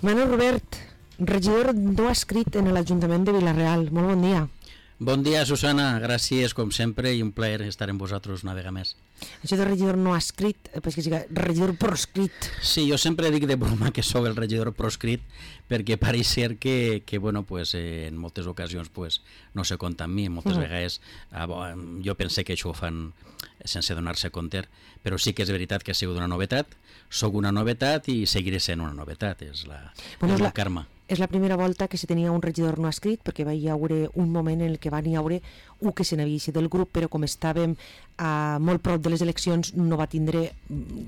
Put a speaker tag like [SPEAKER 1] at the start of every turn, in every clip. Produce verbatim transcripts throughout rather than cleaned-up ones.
[SPEAKER 1] Manuel Robert, regidor no adscrit en l'Ajuntament de Vila-real. Molt bon dia.
[SPEAKER 2] Bon dia, Susana. Gràcies, com sempre, i un plaer estar amb vosaltres una vegada més.
[SPEAKER 1] Això de regidor no adscrit, pues que sigui regidor proscrit.
[SPEAKER 2] Sí, jo sempre dic de broma que sóc el regidor proscrit perquè pareix ser que, que bueno, pues, eh, en moltes ocasions pues, no se compta amb mi. Moltes uh -huh. vegades ah, bo, jo pensé que això ho fan sense donar-se compte, però sí que és veritat que ha sigut una novetat, sóc una novetat i seguiré sent una novetat, és la,
[SPEAKER 1] bueno,
[SPEAKER 2] és
[SPEAKER 1] és
[SPEAKER 2] la
[SPEAKER 1] la...
[SPEAKER 2] karma.
[SPEAKER 1] És la primera volta que se tenia un regidor no adscrit, perquè va hi haure un moment en el que van hi haure un que se n'havia eixit del grup, però com estàvem a molt prop de les eleccions no va tindre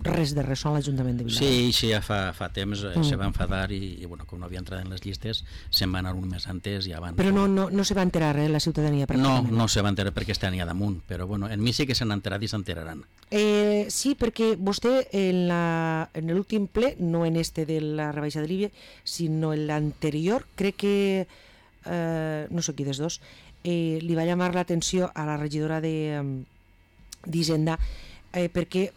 [SPEAKER 1] res de res a l'Ajuntament de Vila-real.
[SPEAKER 2] Sí, sí, ja fa, fa temps mm. se va enfadar i, i bueno, com no havia entrat en les llistes se'n va anar un mes antes i abans.
[SPEAKER 1] Però no, no, no se va enterar eh, la ciutadania?
[SPEAKER 2] No, no se va enterar perquè està allà damunt, però bueno, en mi sí que s'han enterat i s'enteraran.
[SPEAKER 1] Eh, sí, perquè vostè en, la, en l'últim ple, no en este de la rebaixa de l'I V A, sinó en l'anterior, crec que, eh, no sé qui dels dos, eh, li va llamar l'atenció a la regidora de d'Hisenda eh, perquè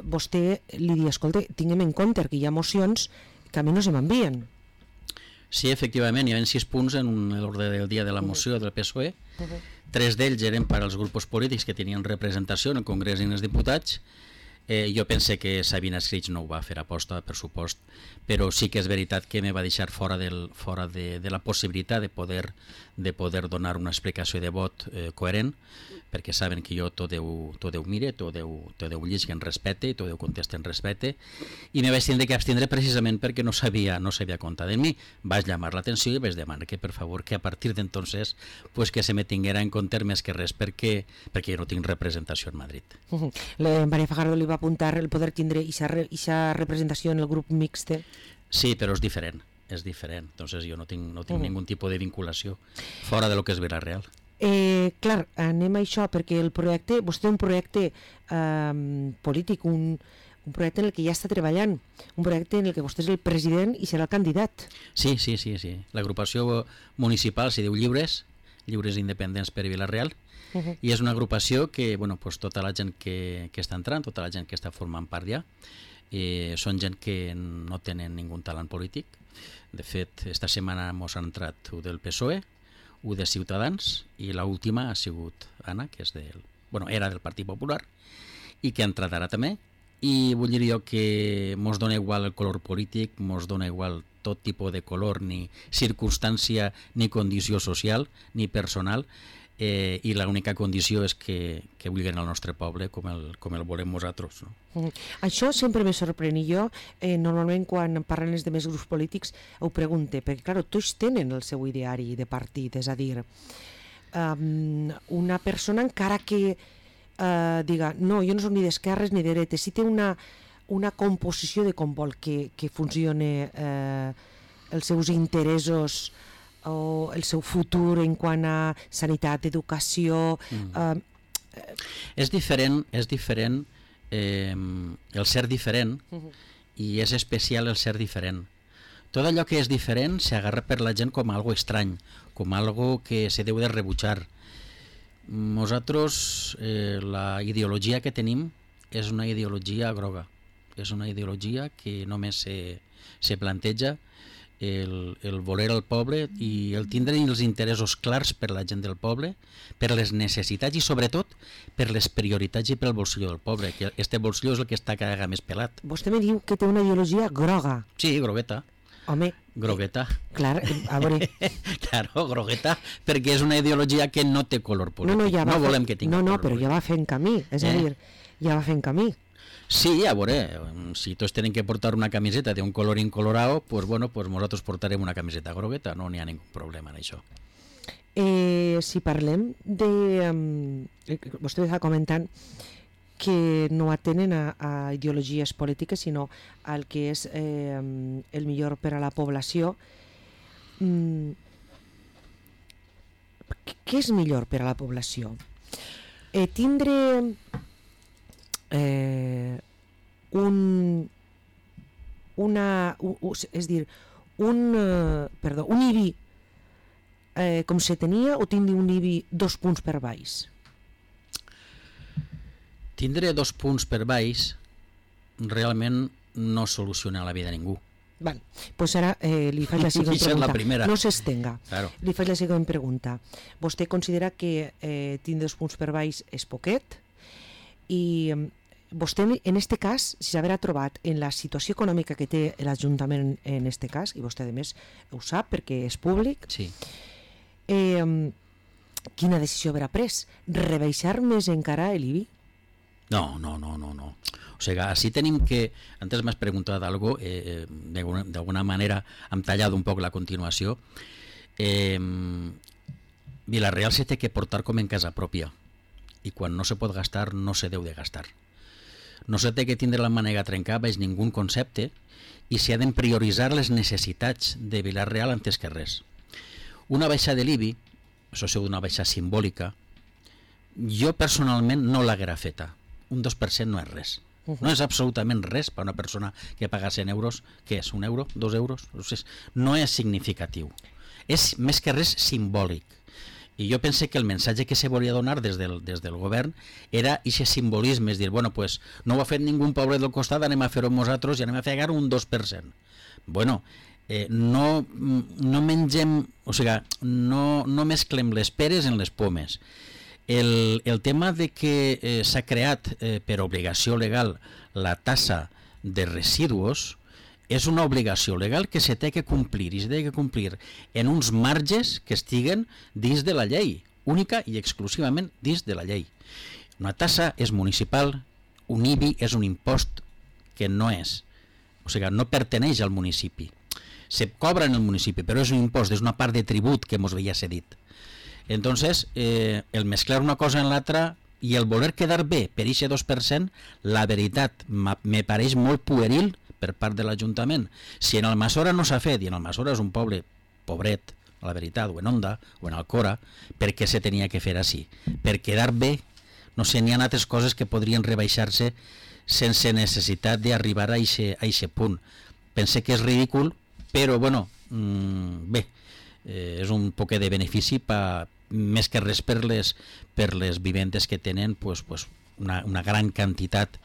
[SPEAKER 1] vostè li diu, escolta, tinguem en compte que hi ha mocions que a mi no se m'envien.
[SPEAKER 2] Sí, efectivament, hi ha sis punts en l'ordre del dia de la moció del P S O E. Uh-huh. Tres d'ells eren per als grups polítics que tenien representació en el Congrés i en els diputats. Eh, jo pense que Sabina Escrits no ho va fer aposta, per supost, però sí que és veritat que me va deixar fora, del, fora de, de la possibilitat de poder, de poder donar una explicació de vot eh, coherent, perquè saben que jo tot Déu, tot Déu mire, tot Déu, tot Déu llisca en respecte, tot Déu contesta en respecte, i me vaig tindre que abstindre precisament perquè no sabia, no sabia comptar de mi. Vaig llamar l'atenció i vaig demanar que, per favor, que a partir d'entonces pues, que se me tinguera en compte més que res perquè, perquè jo no tinc representació en Madrid.
[SPEAKER 1] Uh-huh. La Maria Fajardo li va apuntar el poder tindre aquesta representació en el grup mixte.
[SPEAKER 2] Sí, però és diferent, és diferent. Entonces jo no tinc, no tinc uh-huh. ningú tipus de vinculació fora de lo que és Vila-real.
[SPEAKER 1] Eh, clar, anem a això perquè el projecte, vostè té un projecte eh, polític, un, un projecte en el que ja està treballant, un projecte en el que vostè és el president i serà el candidat.
[SPEAKER 2] Sí, sí, sí, sí. L'agrupació municipal s'hi diu Lliures, Lliures Independents per Vila-real, uh-huh. i és una agrupació que, bueno, pues, tota la gent que, que està entrant, tota la gent que està formant part ja, eh, són gent que no tenen ningú talent polític. De fet, esta setmana mos han entrat un del P S O E, un de Ciutadans, i l'última ha sigut Anna, que és del, bueno, era del Partit Popular, i que ha entrat ara també, i vull dir jo que mos dona igual el color polític, mos dona igual tot tipus de color, ni circumstància, ni condició social, ni personal, eh, i l'única condició és que, que vulguin el nostre poble com el, com el volem nosaltres. No?
[SPEAKER 1] Mm. Això sempre me sorprèn, i jo eh, normalment quan parlen els demés grups polítics ho pregunte, perquè clar, tots tenen el seu ideari de partit, és a dir, um, una persona encara que uh, diga, no, jo no soc ni d'esquerres ni de dretes, si té una, una composició de com vol que, que funcione eh, els seus interessos o el seu futur en quant a sanitat, educació... Mm. Eh,
[SPEAKER 2] és diferent, és diferent eh, el ser diferent uh-huh. i és especial el ser diferent. Tot allò que és diferent s'agarra per la gent com algo estrany, com algo que se deu de rebutjar. Nosaltres, eh, la ideologia que tenim és una ideologia groga, és una ideologia que només se, se planteja El, el voler al poble i el tindre els interessos clars per la gent del poble, per les necessitats i sobretot per les prioritats i pel bolsillo del poble, que este bolsillo és el que està cada vegada més pelat.
[SPEAKER 1] Vostè me diu que té una ideologia groga.
[SPEAKER 2] Sí, grogueta.
[SPEAKER 1] Home,
[SPEAKER 2] grogueta.
[SPEAKER 1] Eh, clar, a veure.
[SPEAKER 2] Claro, grogueta, perquè és una ideologia que no té color polític.
[SPEAKER 1] No, no, ja
[SPEAKER 2] no
[SPEAKER 1] fe...
[SPEAKER 2] volem que tingui
[SPEAKER 1] no, no,
[SPEAKER 2] color
[SPEAKER 1] però
[SPEAKER 2] polític.
[SPEAKER 1] ja va fent camí, és eh? a dir, ja va fent camí.
[SPEAKER 2] Sí, a veure, si tots tenen que portar una camiseta d'un color incolorado, pues bueno, pues nosaltres portarem una camiseta grogueta, no n'hi ha ningú problema en això.
[SPEAKER 1] Eh, si parlem de... Um, vostè està comentant que no atenen a, a ideologies polítiques, sinó al que és eh, el millor per a la població. Mm, què és millor per a la població? Eh, tindre... Eh, un una un, és dir un, eh, perdó, un I B I eh, com se tenia o tindre un I B I dos punts per baix?
[SPEAKER 2] Tindre dos punts per baix realment no soluciona la vida a ningú.
[SPEAKER 1] Val, pues ara eh, li faig la següent pregunta.
[SPEAKER 2] La primera.
[SPEAKER 1] No s'estenga.
[SPEAKER 2] Claro.
[SPEAKER 1] Li faig la següent pregunta. Vostè considera que eh, tindre dos punts per baix és poquet i vostè en este cas, si s'haverà trobat en la situació econòmica que té l'Ajuntament en este cas, i vostè a més ho sap perquè és públic,
[SPEAKER 2] sí.
[SPEAKER 1] eh, quina decisió haurà pres? Rebaixar més encara l'I B I?
[SPEAKER 2] No, no, no, no, no. O sigui, així tenim que... Antes m'has preguntat algo, eh, d'alguna manera hem tallat un poc la continuació. Eh, Vila-real se té que portar com en casa pròpia i quan no se pot gastar, no se deu de gastar. No se té que tindre la mànega trencada baix ningú concepte i s'ha de prioritzar les necessitats de Vila-real antes que res. Una baixa de l'I B I, això és una baixa simbòlica, jo personalment no l'haguera feta. Un dos per cent no és res. No és absolutament res per a una persona que paga cent euros. Què és? Un euro? Dos euros? No és significatiu. És més que res simbòlic. I jo pense que el missatge que se volia donar des del, des del govern era aquest simbolisme, és dir, bueno, pues, no ho ha fet ningú pobre del costat, anem a fer-ho nosaltres i anem a fer un dos per cent. Bueno, eh, no, no mengem, o sigui, no, no mesclem les peres en les pomes. El, el tema de que eh, s'ha creat eh, per obligació legal la tassa de residus és una obligació legal que se té que complir i se té que complir en uns marges que estiguen dins de la llei, única i exclusivament dins de la llei. Una tassa és municipal, un I B I és un impost que no és, o sigui, no perteneix al municipi. Se cobra en el municipi, però és un impost, és una part de tribut que mos veia cedit. Entonces, eh, el mezclar una cosa en l'altra i el voler quedar bé per aquest dos per cent, la veritat me pareix molt pueril per part de l'Ajuntament. Si en Almassora no s'ha fet, i en Almassora és un poble pobret, a la veritat, o en Onda, o en Alcora, per què se tenia que fer així? Per quedar bé, no sé, n'hi ha altres coses que podrien rebaixar-se sense necessitat d'arribar a aquest punt. Pense que és ridícul, però, bueno, mmm, bé, eh, és un poc de benefici pa, més que res per les, per les vivendes que tenen pues, pues una, una gran quantitat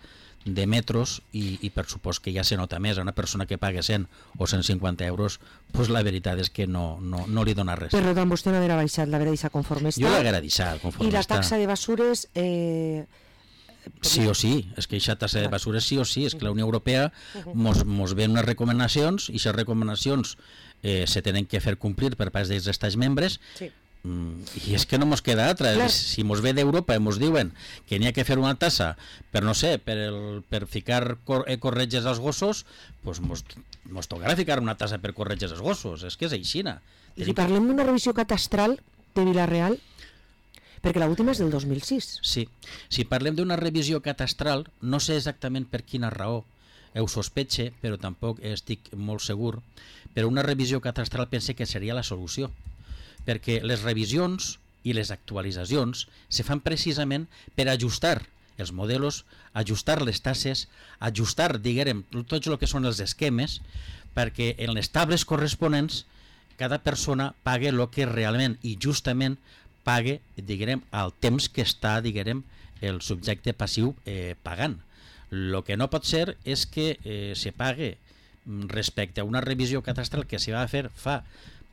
[SPEAKER 2] de metros i, i per supost que ja se nota més a una persona que paga cent o cent cinquanta euros, pues la veritat és que no, no, no li dona res.
[SPEAKER 1] Per tant, vostè no haguera baixat, l'haguera deixat conforme està.
[SPEAKER 2] Jo l'haguera deixat conforme està.
[SPEAKER 1] I la taxa de basures... Eh...
[SPEAKER 2] Sí o sí, és que aquesta tassa de basures sí o sí, és que la Unió Europea mos, mos ven unes recomanacions i aquestes recomanacions eh, se tenen que fer complir per part dels estats membres. Sí. I és que no mos queda altra. Clar. Si mos ve d'Europa i mos diuen que n'hi ha que fer una tassa per, no sé, per, el, per ficar cor, eh, corretges als gossos, pues mos, mos tocarà ficar una tassa per corretges als gossos. És que és aixina.
[SPEAKER 1] I si parlem d'una revisió catastral de Vila-real, perquè l'última és del dos mil sis.
[SPEAKER 2] Sí, si parlem d'una revisió catastral, no sé exactament per quina raó, ho sospetxe, però tampoc estic molt segur, però una revisió catastral pense que seria la solució, perquè les revisions i les actualitzacions se fan precisament per ajustar els models, ajustar les tasses, ajustar, diguem, tots el que són els esquemes, perquè en les tables corresponents cada persona pague el que realment i justament pague, diguem, al temps que està, diguem, el subjecte passiu eh, pagant. El que no pot ser és que eh, se pague respecte a una revisió catastral que s'hi va fer fa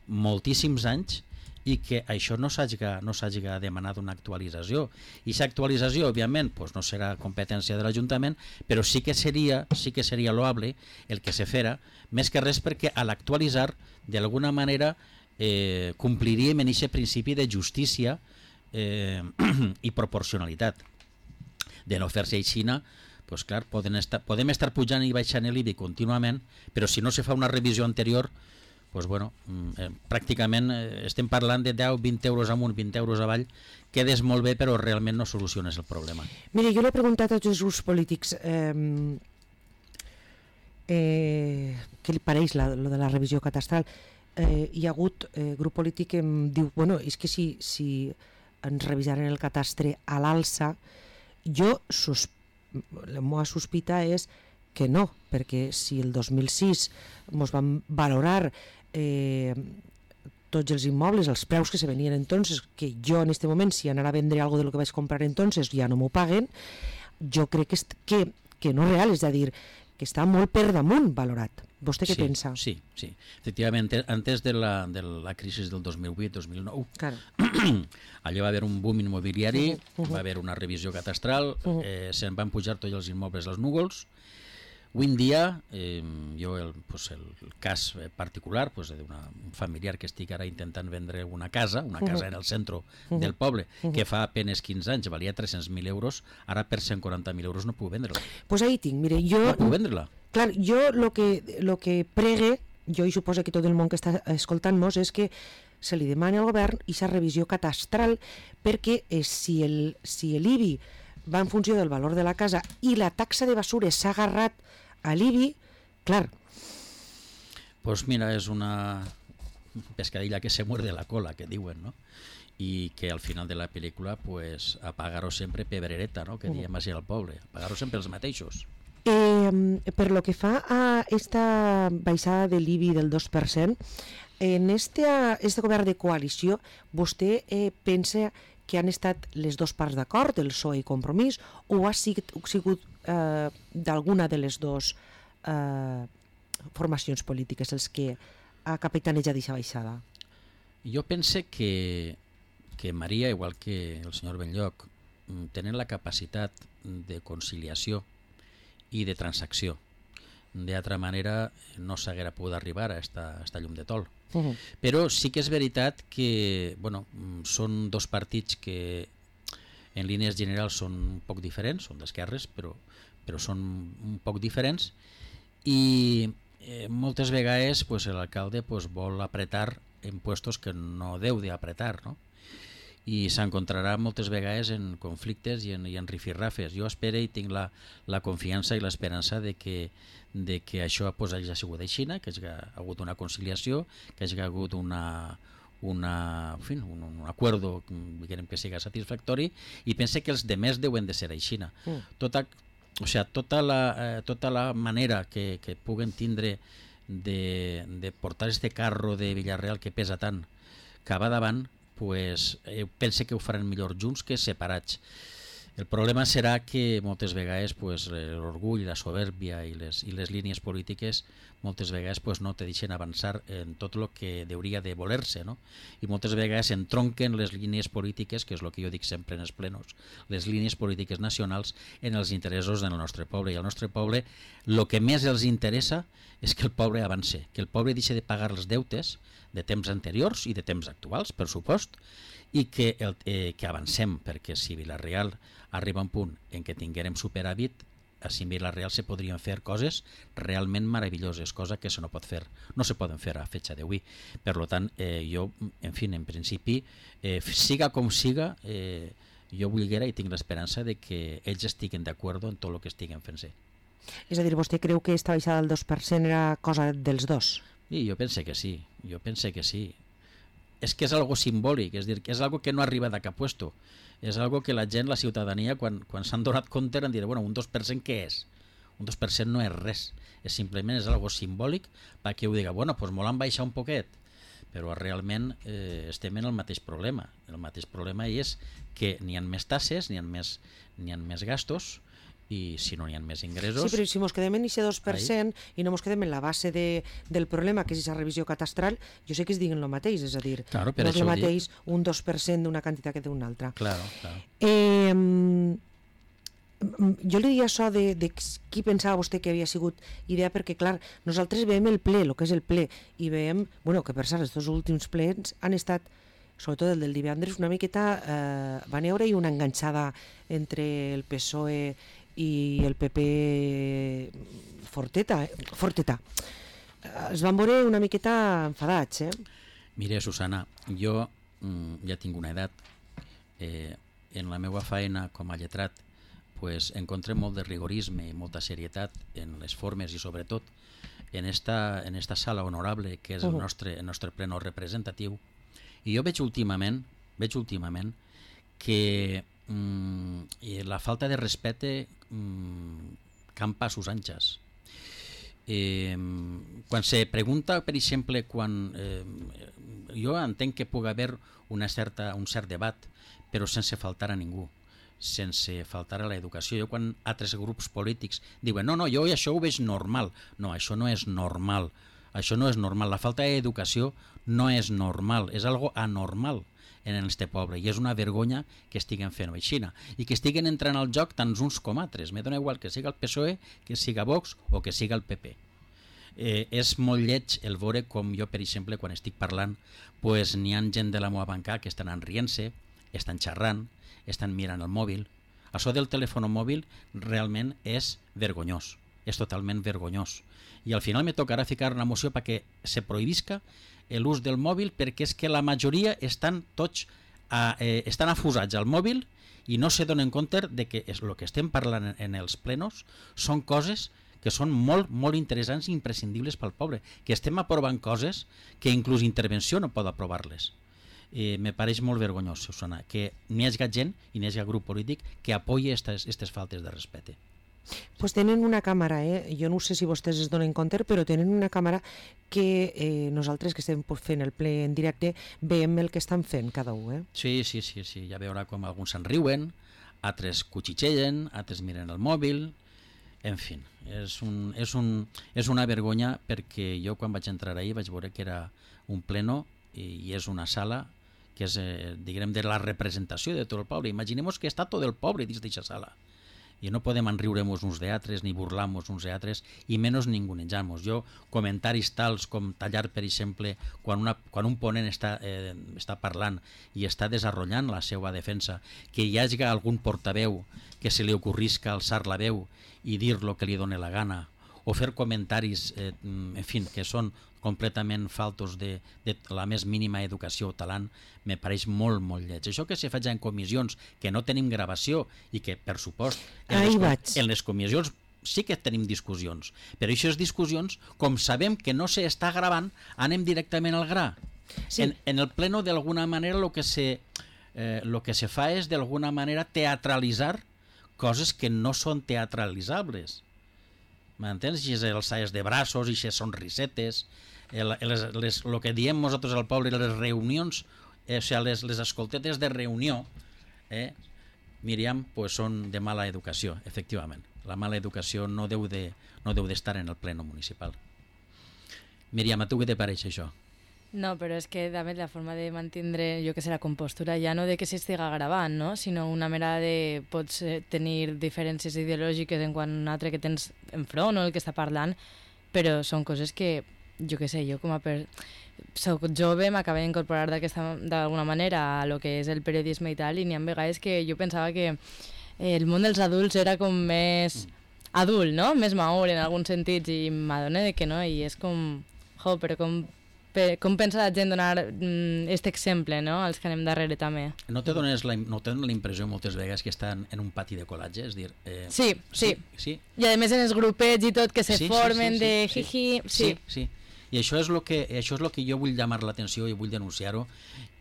[SPEAKER 2] moltíssims anys i que això no s'hagi no demanat una actualització. I aquesta actualització, òbviament, pues no serà competència de l'Ajuntament, però sí que seria sí que seria loable el que se fera, més que res perquè a l'actualitzar, d'alguna manera, eh, compliríem en aquest principi de justícia eh, i proporcionalitat. De no fer-se aixina, pues clar, podem estar, podem estar pujant i baixant l'I B I contínuament, però si no se fa una revisió anterior, pues bueno, eh, pràcticament eh, estem parlant de deu, vint euros amunt, vint euros avall, quedes molt bé però realment no soluciones el problema.
[SPEAKER 1] Mire, jo l'he preguntat a tots els grups polítics eh, eh, què li pareix la, lo de la revisió catastral. Eh, hi ha hagut eh, grup polític que em diu, bueno, és que si, si ens revisaren el catastre a l'alça, jo sus, la meva sospita és que no, perquè si el dos mil sis ens van valorar eh, tots els immobles, els preus que se venien entonces, que jo en aquest moment si anara a vendre algo de lo que vaig comprar entonces ja no m'ho paguen, jo crec que, que, que no és real, és a dir, que està molt per damunt valorat. Vostè què
[SPEAKER 2] sí,
[SPEAKER 1] pensa?
[SPEAKER 2] Sí, sí. Efectivament, antes de la, de la crisi del dos mil vuit dos mil nou,
[SPEAKER 1] Claro.
[SPEAKER 2] allà va haver un boom immobiliari,
[SPEAKER 1] Uh -huh, uh -huh.
[SPEAKER 2] va haver una revisió catastral,
[SPEAKER 1] Uh -huh.
[SPEAKER 2] eh, se'n van pujar tots els immobles als núvols. Avui en dia, eh, jo el, pues el cas particular pues, d'un familiar que estic ara intentant vendre una casa, una casa en el centre uh -huh. del poble, uh -huh. que fa apenas quinze anys valia tres-cents mil euros, ara per cent quaranta mil euros no puc vendre-la.
[SPEAKER 1] Pues ahí tinc, mire, jo...
[SPEAKER 2] No puc vendre-la.
[SPEAKER 1] Clar, jo lo que, lo que pregue, jo i suposo que tot el món que està escoltant-nos, és que se li demani al govern aquesta revisió catastral perquè eh, si el si l'I B I va en funció del valor de la casa i la taxa de basures s'ha agarrat a l'I B I, clar.
[SPEAKER 2] Pues mira, és una pescadilla que se muerde la cola, que diuen, no? I que al final de la pel·lícula, pues, apagar-ho sempre pebrereta, no? Que diem així al poble, apagar-ho sempre els mateixos.
[SPEAKER 1] Eh, per lo que fa a esta baixada de l'I B I del dos per cent, en este, este govern de coalició, vostè eh, pensa que han estat les dues parts d'acord, el P S O E i Compromís, o ha sigut, sigut eh, d'alguna de les dues eh, formacions polítiques els que ha capitanejat aquesta baixada?
[SPEAKER 2] Jo pense que, que Maria, igual que el senyor Benlloc, tenen la capacitat de conciliació i de transacció. D'altra manera no s'haguera pogut arribar a esta, a esta llum de tol. Uh -huh. Però sí que és veritat que bueno, són dos partits que en línies generals són un poc diferents, són d'esquerres, però, però són un poc diferents, i eh, moltes vegades pues, l'alcalde pues, vol apretar en puestos que no deu d'apretar, no? I s'encontrarà moltes vegades en conflictes i en, i en rifirrafes. Jo espero i tinc la, la confiança i l'esperança de que, de que això pues, hagi sigut així, que hi ha hagut una conciliació, que hi ha hagut una, una, en fi, un, un acuerdo que siga satisfactori, i pense que els demés deuen de ser així. Mm. Tota, o sea, tota, la, eh, tota la manera que, que puguen tindre de, de portar este carro de Villarreal que pesa tant cap a davant, pues, eh, pense que ho faran millor junts que separats. El problema serà que moltes vegades pues, l'orgull, la soberbia i les, i les línies polítiques moltes vegades pues, no te deixen avançar en tot el que hauria de voler-se, no? I moltes vegades entronquen les línies polítiques, que és el que jo dic sempre en els plenos, les línies polítiques nacionals en els interessos del nostre poble. I al nostre poble el que més els interessa és que el poble avance, que el poble deixi de pagar els deutes de temps anteriors i de temps actuals, per supost, i que, el, eh, que avancem, perquè si Villarreal arriba a un punt en què tinguérem superàvit, a si Villarreal se podrien fer coses realment meravelloses, cosa que se no pot fer, no se poden fer a fetxa d'avui. Per tant, eh, jo, en fi, en principi, eh, siga com siga, eh, jo volguera i tinc l'esperança de que ells estiguen d'acord en tot el que estiguen fent-se.
[SPEAKER 1] És a dir, vostè creu que esta baixada del dos per cent era cosa dels dos?
[SPEAKER 2] Sí, jo pense que sí, jo pense que sí. És que és algo simbòlic, és dir, que és algo que no arriba de cap puesto. És algo que la gent, la ciutadania, quan, quan s'han donat compte, han dit, bueno, un dos per cent què és? Un dos per cent no és res, és simplement és algo simbòlic perquè ho diga, bueno, doncs molt han baixat un poquet, però realment eh, estem en el mateix problema. El mateix problema és que n'hi ha més tasses, n'hi ha més, n'hi ha més gastos, i si no n'hi ha més ingressos...
[SPEAKER 1] Sí, però si ens quedem en aquest dos per cent ahí, i no ens quedem en la base de, del problema, que és aquesta revisió catastral, jo sé que es diguen el mateix, és a dir,
[SPEAKER 2] claro,
[SPEAKER 1] no és el mateix dic. Un dos per cent d'una quantitat que d'una altra.
[SPEAKER 2] Claro, claro.
[SPEAKER 1] Eh, jo li diria això de, de qui pensava vostè que havia sigut idea, perquè, clar, nosaltres veiem el ple, el que és el ple, i veiem, bueno, que per cert, els dos últims plens han estat, sobretot el del divendres, una miqueta, eh, van veure i una enganxada entre el P S O E i el P P forteta, eh? forteta. Es van veure una miqueta enfadats, eh?
[SPEAKER 2] Mira, Susana, jo mm, ja tinc una edat. Eh, en la meva feina com a lletrat pues, encontré molt de rigorisme i molta serietat en les formes i sobretot en esta, en esta sala honorable que és el nostre, el nostre pleno representatiu. I jo veig últimament, veig últimament que mm, la falta de respecte mm, campa a sus anchas. Eh, quan se pregunta, per exemple, quan eh, jo entenc que pugui haver una certa, un cert debat, però sense faltar a ningú. sense faltar a l'educació. Jo quan altres grups polítics diuen no, no, jo això ho veig normal. No, això no és normal. Això no és normal. La falta d'educació no és normal, és algo anormal en el nostre poble i és una vergonya que estiguen fent-ho així i que estiguen entrant al joc tant uns com altres. Me dona igual que siga el P S O E, que siga Vox o que siga el P P. Eh, és molt lleig el veure com jo, per exemple, quan estic parlant, pues, n'hi ha gent de la meva banca que estan enrient-se, estan xerrant, estan mirant el mòbil. Això del telèfon mòbil realment és vergonyós, és totalment vergonyós. I al final me tocarà ficar una moció perquè se prohibisca l'ús del mòbil perquè és que la majoria estan tots a, eh, estan afusats al mòbil i no se donen compte de que el que estem parlant en els plenos són coses que són molt, molt interessants i imprescindibles pel poble, que estem aprovant coses que inclús intervenció no pot aprovar-les. Eh, me pareix molt vergonyós, Susana, que n'hi hagi gent i n'hi hagi grup polític que apoyi aquestes faltes de respecte.
[SPEAKER 1] Pues tenen una càmera, eh? Jo no sé si vostès es donen compte, però tenen una càmera que eh, nosaltres que estem fent el ple en directe veiem el que estan fent cada un. Eh?
[SPEAKER 2] Sí, sí, sí, sí, ja veurà com alguns se'n riuen, altres cuchitxellen, altres miren el mòbil, en fi, és, un, és, un, és una vergonya perquè jo quan vaig entrar ahir vaig veure que era un pleno i, i és una sala que és, eh, diguem, de la representació de tot el poble. Imaginem-nos que està tot el poble dins d'aquesta sala. I no podem enriure-nos uns d'altres ni burlar-nos uns d'altres i menys ningunejar-nos. Jo, comentaris tals com tallar, per exemple, quan, una, quan un ponent està, eh, està parlant i està desenvolupant la seva defensa, que hi hagi algun portaveu que se li ocorrisca alçar la veu i dir el que li doni la gana, o fer comentaris eh, en fi, que són completament faltos de, de la més mínima educació o talent, me pareix molt, molt lleig. Això que se faig en comissions, que no tenim gravació i que, per supost, en les, en les comissions sí que tenim discussions, però aquestes discussions, com sabem que no s'està gravant, anem directament al gra. Sí. En, en el pleno, d'alguna manera, el que se, eh, lo que se fa és, d'alguna manera, teatralitzar coses que no són teatralitzables. M'entens? I els salles de braços, i les sonrisetes, el, les, les, el que diem nosaltres al poble, les reunions, eh, o sigui, les, les escoltetes de reunió, eh, Míriam, pues són de mala educació, efectivament. La mala educació no deu de, no deu d'estar en el pleno municipal. Míriam, a tu què te pareix això?
[SPEAKER 3] No, però és que també la forma de mantindre, jo que sé, la compostura ja no de que s'estiga gravant, no? Sinó una mera de pots tenir diferències ideològiques en quant a un altre que tens enfront o el que està parlant, però són coses que, jo que sé, jo com a per... soc jove, m'acabo d'incorporar d'alguna manera a lo que és el periodisme i tal, i n'hi ha vegades que jo pensava que el món dels adults era com més adult, no? Més madur en alguns sentits, i m'adone que no, i és com... Jo, però com... Com pensa la gent donar aquest exemple, no? Els que anem darrere també.
[SPEAKER 2] No te dones la, no te dones la impressió moltes vegades que estan en un pati de col·latge? És dir, eh...
[SPEAKER 3] sí, sí, sí,
[SPEAKER 2] sí.
[SPEAKER 3] I a més en els grupets i tot que se
[SPEAKER 2] sí,
[SPEAKER 3] formen
[SPEAKER 2] sí, sí,
[SPEAKER 3] de
[SPEAKER 2] sí,
[SPEAKER 3] jiji...
[SPEAKER 2] Sí, sí, sí. I això és el que, això és lo que jo vull llamar l'atenció i vull denunciar-ho.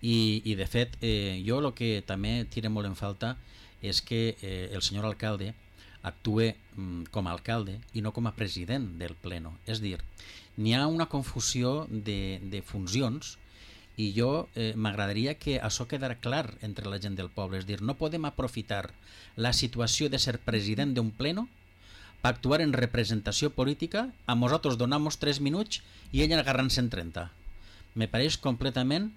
[SPEAKER 2] I, i de fet, eh, jo el que també tira molt en falta és que eh, el senyor alcalde actue mm, com a alcalde i no com a president del pleno. És dir, n'hi ha una confusió de, de funcions i jo eh, m'agradaria que això quedara clar entre la gent del poble. És dir, no podem aprofitar la situació de ser president d'un pleno per actuar en representació política, a nosaltres donamos tres minuts i ell agarrant-se en trenta. Me pareix completament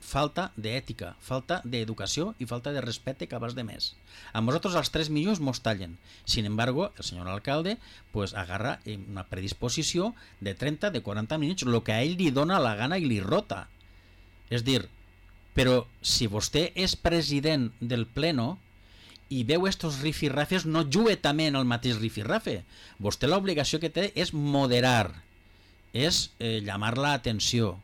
[SPEAKER 2] falta d'ètica, falta d'educació i falta de respecte cap als demés. A nosaltres els tres minuts mos tallen. Sin embargo, el senyor alcalde pues, agarra una predisposició de trenta, de quaranta minuts, el que a ell li dona la gana i li rota. És dir, però si vostè és president del pleno i veu estos rifirrafes, no jugue també en el mateix rifirrafe. Vostè l'obligació que té és moderar, és eh, llamar la atenció,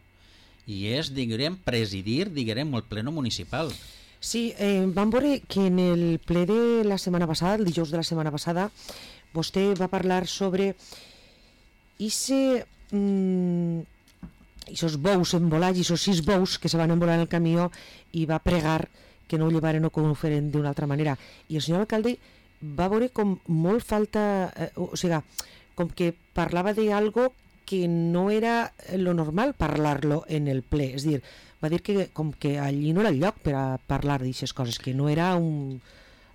[SPEAKER 2] i és, diguem, presidir, diguem, el pleno municipal.
[SPEAKER 1] Sí, eh, vam veure que en el ple de la setmana passada, el dijous de la setmana passada, vostè va parlar sobre ese, mm, esos bous embolats, esos sis bous que se van embolar en el camió, i va pregar que no ho llevaren o que ho feren d'una altra manera. I el senyor alcalde va veure com molt falta, eh, o sigui, com que parlava d'algo que no era lo normal parlar-lo en el ple. És dir, va dir que com que allí no era el lloc per a parlar d'aixes coses, que no era un,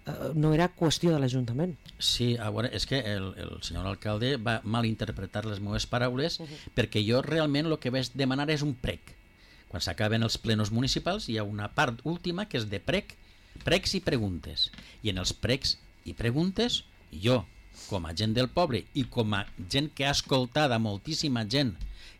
[SPEAKER 1] eh, no era qüestió de l'Ajuntament.
[SPEAKER 2] Sí, a veure, és que el, el senyor alcalde va malinterpretar les meves paraules uh -huh. perquè jo realment el que vaig demanar és un prec. Quan s'acaben els plenos municipals hi ha una part última que és de prec, precs i preguntes. I en els precs i preguntes, jo, com a gent del poble i com a gent que ha escoltat a moltíssima gent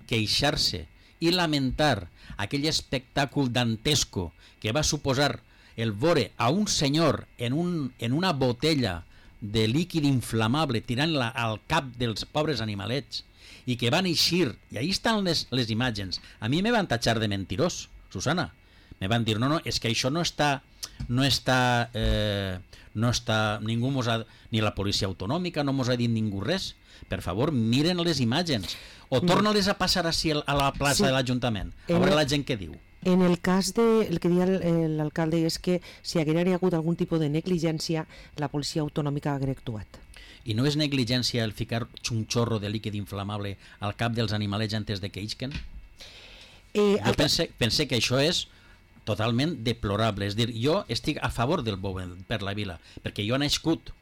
[SPEAKER 2] queixar-se i lamentar aquell espectacle dantesco que va suposar el veure a un senyor en, un, en una botella de líquid inflamable tirant-la al cap dels pobres animalets i que van eixir, i ahí estan les, les imatges. A mi me van tatxar de mentirós, Susana. Me van dir, no, no, és que això no està, no està, eh, no està, ningú mos ha, ni la policia autonòmica no mos ha dit ningú res. Per favor, miren les imatges. O torna-les a passar així a la plaça sí. de l'Ajuntament. A veure la gent què diu.
[SPEAKER 1] En el cas de, el que deia l'alcalde és que si haguera hagut algun tipus de negligència, la policia autonòmica haguera actuat.
[SPEAKER 2] I no és negligència el ficar un xorro de líquid inflamable al cap dels animalets antes de que ixquen? Eh, jo altra... pense, pense que això és totalment deplorable. És dir, jo estic a favor del bou per la vila, perquè jo he nascut.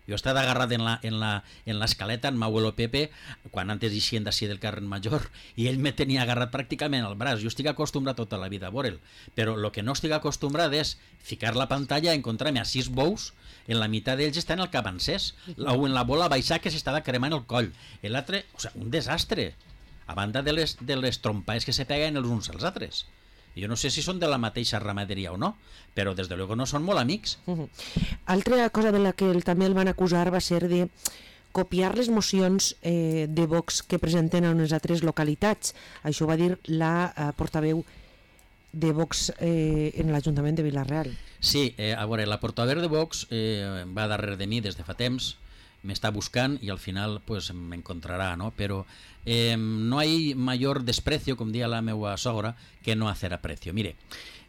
[SPEAKER 2] Jo he estat agarrat en la, en la, en l'escaleta, en m'abuelo Pepe, quan antes eixien d'ací del carrer Major, i ell me tenia agarrat pràcticament al braç. Jo estic acostumbrat tota la vida a veure'l, però el que no estic acostumbrat és ficar la pantalla, encontrar-me a sis bous, en la meitat d'ells està en el cap encès, o en la bola baixar que s'estava cremant el coll. L'altre, o sigui, un desastre, a banda de les, de les trompades que se peguen els uns als altres. Jo no sé si són de la mateixa ramaderia o no, però des de luego no són molt amics.
[SPEAKER 1] Uh -huh. Altra cosa de la que el, també el van acusar va ser de copiar les mocions eh, de Vox que presenten en les altres localitats. Això va dir la eh, portaveu de Vox eh, en l'Ajuntament de Vila-real.
[SPEAKER 2] Sí, eh, a veure, la portaveu de Vox eh, va darrere de mi des de fa temps, m'està buscant i al final pues m'encontrarà, no? Però eh, no hay mayor desprecio, com dia la meva sogra, que no hacer aprecio. Mire,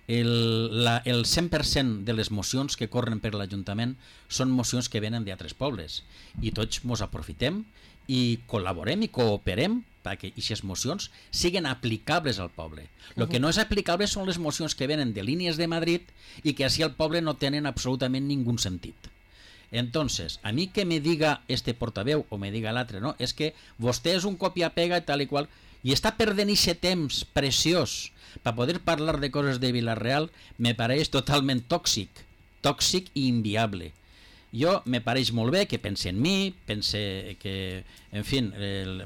[SPEAKER 2] el, la, el cent per cent de les mocions que corren per l'Ajuntament són mocions que venen d'altres pobles i tots mos aprofitem i col·laborem i cooperem perquè aquestes mocions siguin aplicables al poble. El uh-huh. que no és aplicable són les mocions que venen de línies de Madrid i que així al poble no tenen absolutament ningú sentit. Entonces, a mí que me diga este portaveu o me diga l'altre, no, és que vostè és un copia-pega i tal i qual, i està perdent aquest temps preciós per poder parlar de coses de Vila-real, me pareix totalment tòxic, tòxic i inviable. Jo me pareix molt bé que pense en mi, pense que, en fi, el,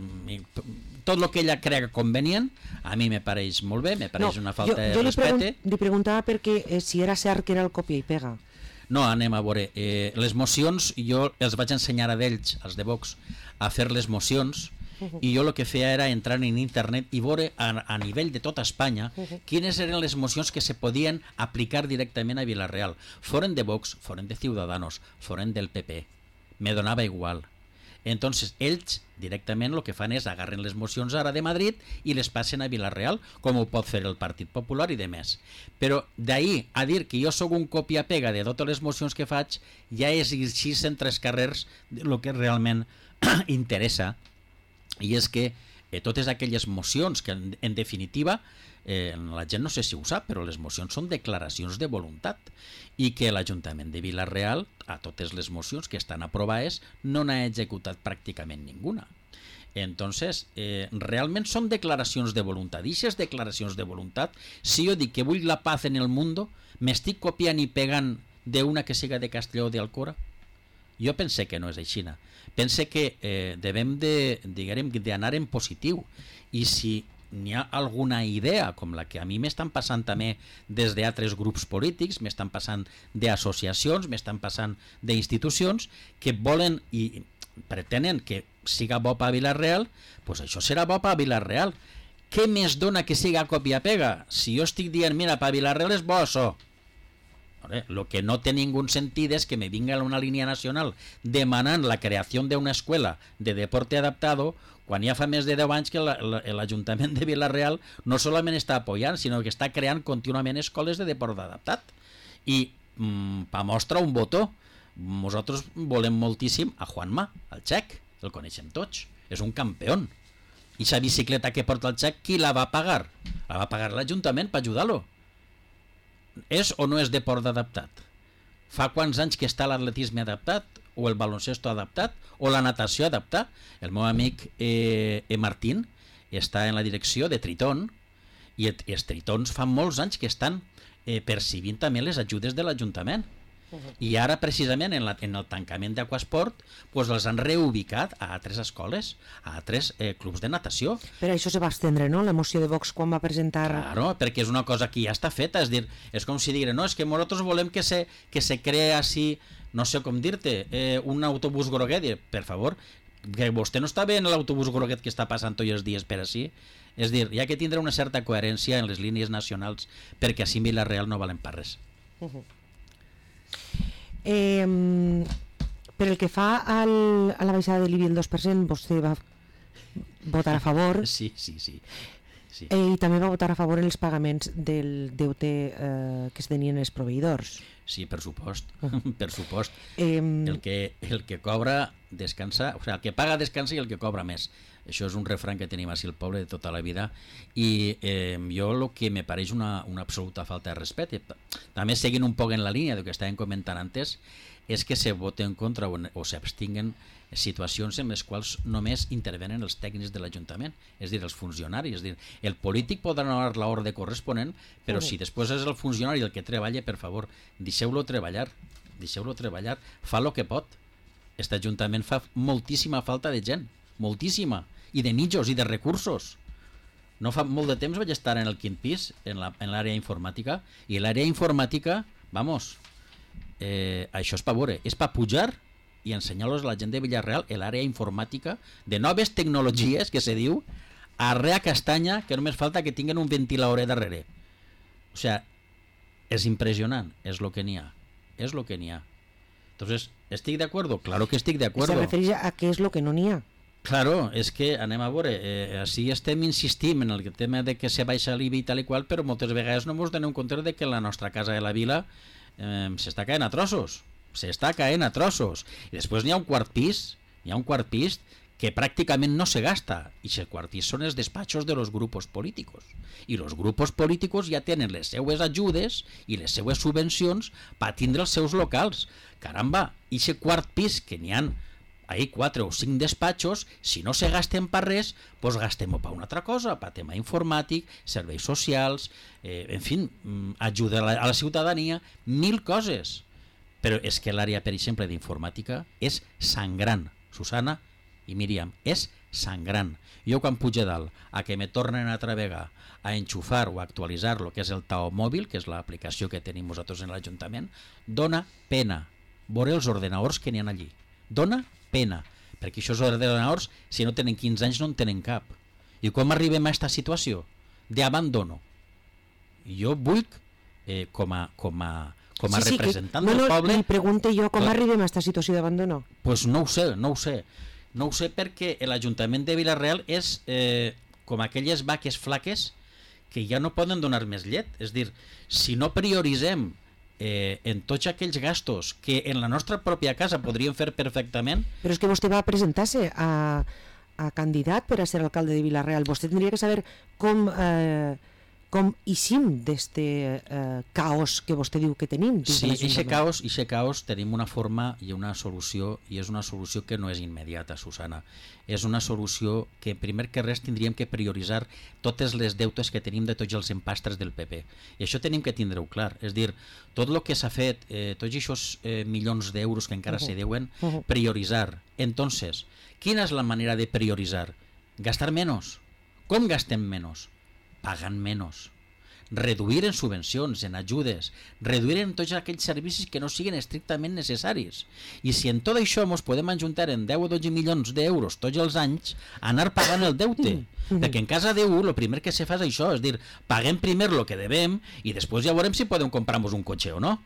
[SPEAKER 2] tot el que ella crega convenient, a mi me pareix molt bé, me pareix no, una falta jo, jo de respecte. Jo li, pregun li preguntava
[SPEAKER 1] perquè eh, si era cert que era el copia i pega.
[SPEAKER 2] No, anem a veure. Eh, les mocions, jo els vaig ensenyar a d'ells, als de Vox, a fer les mocions, uh-huh. i jo el que feia era entrar en internet i veure a, a nivell de tota Espanya uh-huh. quines eren les mocions que se podien aplicar directament a Vila-real. Foren de Vox, foren de Ciudadanos, foren del P P. Me donava igual. Entonces, ells directament el que fan és agarren les mocions ara de Madrid i les passen a Vila-real, com ho pot fer el Partit Popular i de més. Però d'ahir a dir que jo sóc un copia-pega de totes les mocions que faig, ja és així en tres carrers el que realment interessa, i és que eh, totes aquelles mocions que en, en definitiva eh, la gent no sé si ho sap, però les mocions són declaracions de voluntat i que l'Ajuntament de Vila-real a totes les mocions que estan aprovades no n'ha executat pràcticament ninguna. Entonces, eh, realment són declaracions de voluntat. I aquestes declaracions de voluntat, si jo dic que vull la paz en el mundo, m'estic copiant i pegant d'una que siga de Castelló o d'Alcora? Jo pense que no és així. Pense que eh, devem de, diguem, d'anar en positiu, i si n'hi ha alguna idea com la que a mi m'estan passant també des d'altres grups polítics, m'estan passant d'associacions, m'estan passant d'institucions que volen i pretenen que siga bo per Vila-real, doncs això serà bo per Vila-real. Què més dona que siga copia-pega? Si jo estic dient, mira, per Vila-real és bo això. El que no té ningú sentit és que me vinga una línia nacional demanant la creació d'una escola de deporte adaptado quan ja fa més de deu anys que l'Ajuntament de Vila-real no solament està apoyant, sinó que està creant contínuament escoles de deport adaptat. I mmm, per mostra un botó, nosaltres volem moltíssim a Juanma, el txec, el coneixem tots, és un campió. I la bicicleta que porta el txec, qui la va pagar? La va pagar l'Ajuntament per ajudar-lo. És o no és deport adaptat? Fa quants anys que està l'atletisme adaptat, o el baloncesto adaptat, o la natació adaptat? El meu amic eh, e Martín està en la direcció de Triton, i els Tritons fa molts anys que estan eh, percibint també les ajudes de l'Ajuntament. I ara precisament en, la, en el tancament d'Aquasport pues, els han reubicat a altres escoles, a altres eh, clubs de natació.
[SPEAKER 1] Però això se va estendre, no?, la moció de Vox quan va presentar...
[SPEAKER 2] Claro, perquè és una cosa que ja està feta, és dir, és com si diguin, no, és que nosaltres volem que se, que se crea així, no sé com dir-te, eh, un autobús groguet, i, per favor, que vostè no està bé en l'autobús groguet que està passant tots els dies per així. És dir, hi ha que tindre una certa coherència en les línies nacionals perquè així en Vila-real no valen per res.
[SPEAKER 1] Uh -huh. Eh, per el que fa al, a la baixada de l'I B I el dos per cent, vostè va votar a favor.
[SPEAKER 2] Sí, sí, sí. sí.
[SPEAKER 1] Eh, I també va votar a favor en els pagaments del deute eh, que es tenien els proveïdors.
[SPEAKER 2] Sí, per supost, per supost.
[SPEAKER 1] Eh,
[SPEAKER 2] el, que, el que cobra descansa, o sigui, el que paga descansa i el que cobra més. Això és un refrany que tenim així al poble de tota la vida, i eh, jo el que me pareix una, una absoluta falta de respecte, també seguint un poc en la línia del que estàvem comentant antes, és que se voten en contra o, o s'abstinguen situacions en les quals només intervenen els tècnics de l'Ajuntament, és a dir, els funcionaris. És a dir, el polític podrà donar l'ordre corresponent, però uh -huh. si després és el funcionari el que treballa, per favor, deixeu-lo treballar, deixeu-lo treballar, fa el que pot. Aquest Ajuntament fa moltíssima falta de gent, moltíssima, i de mitjos i de recursos. No fa molt de temps vaig estar en el quint pis, en l'àrea informàtica, i l'àrea informàtica, vamos, eh, això és per veure, és per pujar i ensenyar-los a la gent de Vila-real l'àrea informàtica de noves tecnologies, que se diu, arrea castanya, que només falta que tinguen un ventilador darrere. O sea, és impressionant, és el que n'hi ha, és el que n'hi ha. Entonces, ¿estic de acuerdo? Claro que estic de acuerdo.
[SPEAKER 1] Se refereix a què és el que no n'hi ha.
[SPEAKER 2] Claro, és que anem a veure, eh, així estem insistim en el tema de que se baixa l'I B I i tal i qual, però moltes vegades no ens donem compte de que la nostra casa de la vila eh, s'està caent a trossos, s'està caent a trossos. I després n'hi ha un quart pis, n'hi ha un quart pis que pràcticament no se gasta, i el quart pis són els despatxos de los grupos políticos. I los grupos políticos ja tenen les seues ajudes i les seues subvencions per tindre els seus locals. Caramba, i aquest quart pis que n'hi ha ahí quatre o cinc despatxos, si no se gasten per res, doncs gastem-ho per una altra cosa, per tema informàtic, serveis socials, eh, en fi, ajuda a la, a la ciutadania, mil coses. Però és que l'àrea, per exemple, d'informàtica és sangrant, Susana i Míriam, és sangrant. Jo quan pujo dalt a que me tornen a travegar a enxufar o a actualitzar el que és el Tao Mòbil, que és l'aplicació que tenim nosaltres en l'Ajuntament, dona pena veure els ordenadors que n'hi ha allí. Dona pena, perquè aquests ordenadors, si no tenen quinze anys, no en tenen cap. I com arribem a aquesta situació d'abandono? Jo vull, eh, com a, com a, com a
[SPEAKER 1] sí, sí,
[SPEAKER 2] representant
[SPEAKER 1] que,
[SPEAKER 2] del
[SPEAKER 1] no, no,
[SPEAKER 2] poble...
[SPEAKER 1] Li pregunte jo com clar, arribem a aquesta situació d'abandono.
[SPEAKER 2] Doncs pues no ho sé, no ho sé. No ho sé perquè l'Ajuntament de Vila-real és eh, com aquelles vaques flaques que ja no poden donar més llet. És dir, si no prioritzem Eh, en tots aquells gastos que en la nostra pròpia casa podríem fer perfectament...
[SPEAKER 1] Però és que vostè va presentar-se a, a candidat per a ser alcalde de Vila-real. Vostè tindria que saber com, eh, com eixim d'este eh, caos que vostè diu que tenim.
[SPEAKER 2] Sí, ixe caos, ixe caos tenim una forma i una solució, i és una solució que no és immediata, Susana. És una solució que, primer que res, tindríem que prioritzar totes les deutes que tenim de tots els empastres del P P. I això tenim que tindre-ho clar. És dir, tot el que s'ha fet, eh, tots aquests eh, milions d'euros que encara uh -huh. se deuen, uh -huh. prioritzar. Entonces, quina és la manera de prioritzar? Gastar menys. Com gastem menys? Pagant menys. Reduir en subvencions, en ajudes, reduir en tots aquells servicis que no siguin estrictament necessaris. I si en tot això ens podem ajuntar en deu o dotze milions d'euros tots els anys, anar pagant el deute. Perquè en casa de U el primer que se fa és això, és dir, paguem primer el que devem i després ja veurem si podem comprar-nos un cotxe o no.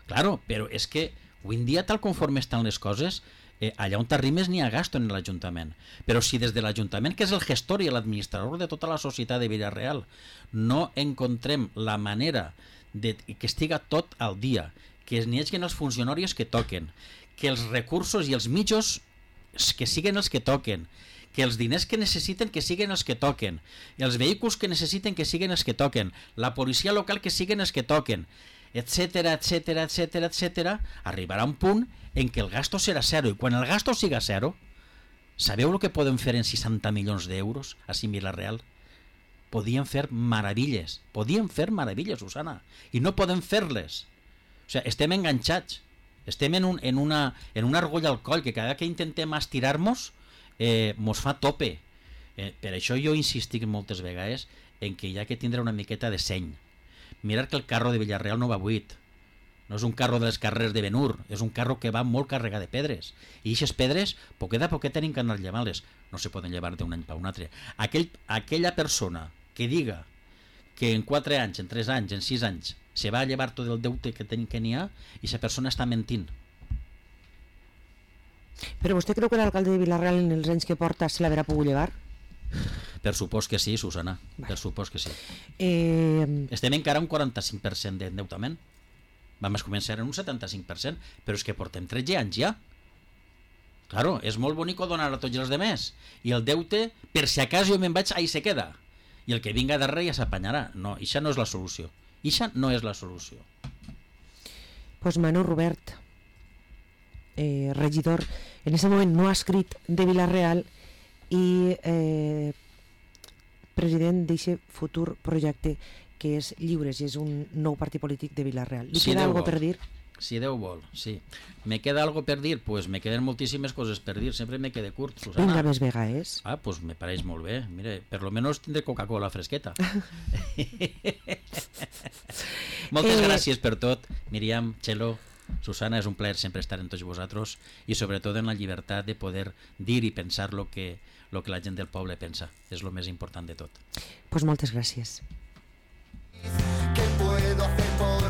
[SPEAKER 2] Claro, però és que avui en dia, tal conforme estan les coses, Eh, allà on t'arrimes n'hi ha gasto en l'Ajuntament, però si des de l'Ajuntament, que és el gestor i l'administrador de tota la societat de Vila-real, no encontrem la manera de que estiga tot al dia, que n'hi hagi els funcionaris que toquen, que els recursos i els mitjos que siguen els que toquen, que els diners que necessiten que siguen els que toquen, els vehicles que necessiten que siguen els que toquen, la policia local que siguen els que toquen, etcètera, etcètera, etcètera, etcètera, arribarà un punt en què el gasto serà zero, i quan el gasto siga zero, sabeu el que podem fer en seixanta milions d'euros a Vila-real? Podien fer meravilles, podien fer meravilles, Susana, i no podem fer-les. O sigui, estem enganxats, estem en, un, en, una, en una argolla al coll que cada que intentem estirar-nos eh, mos fa tope. Eh, per això jo insistic moltes vegades en que hi ha que tindre una miqueta de seny. Mirar que el carro de Villarreal no va buit, no és un carro de les carreres de Benur, és un carro que va molt carregat de pedres, i aquestes pedres poquet a poquet tenim que anar llevant-les, no se poden llevar d'un any per un altre. Aquell, aquella persona que diga que en quatre anys, en tres anys, en sis anys se va a llevar tot el deute que ten, que n'hi ha, i aquesta persona està mentint.
[SPEAKER 1] Però vostè creu que l'alcalde de Vila-real en els anys que porta se l'haurà pogut llevar?
[SPEAKER 2] Per supòs que sí, Susana, per supòs que sí.
[SPEAKER 1] Eh...
[SPEAKER 2] Estem encara un quaranta-cinc per cent d'endeutament. Vam començar en un setanta-cinc per cent, però és que portem tretze anys ja. Claro, és molt bonic donar a tots els demés, i el deute, per si acaso jo me'n vaig, ahí se queda. I el que vinga darrere ja s'apanyarà. No, això no és la solució. Això no és la solució.
[SPEAKER 1] Pues Manu Robert, eh, regidor, en aquest moment no ha escrit de Vila-real i eh, president d'aquest futur projecte que és Lliures i és un nou partit polític de Vila-real. Li
[SPEAKER 2] Si
[SPEAKER 1] queda
[SPEAKER 2] Déu
[SPEAKER 1] algo
[SPEAKER 2] vol.
[SPEAKER 1] per dir?
[SPEAKER 2] Si Déu vol, sí. Me queda algo per dir? Pues me queden moltíssimes coses per dir. Sempre me quede curt, Susana.
[SPEAKER 1] Vinga, més vegades.
[SPEAKER 2] Ah, pues me pareix molt bé. Mire, per lo menos tindré Coca-Cola fresqueta. Moltes
[SPEAKER 1] Eh,
[SPEAKER 2] gràcies per tot, Míriam, Txelo, Susana, és un plaer sempre estar en tots vosaltres i sobretot en la llibertat de poder dir i pensar lo que, lo que la gent del poble pensa. És lo més important de tot.
[SPEAKER 1] Pues moltes gràcies.
[SPEAKER 4] ¿Qué puedo hacer por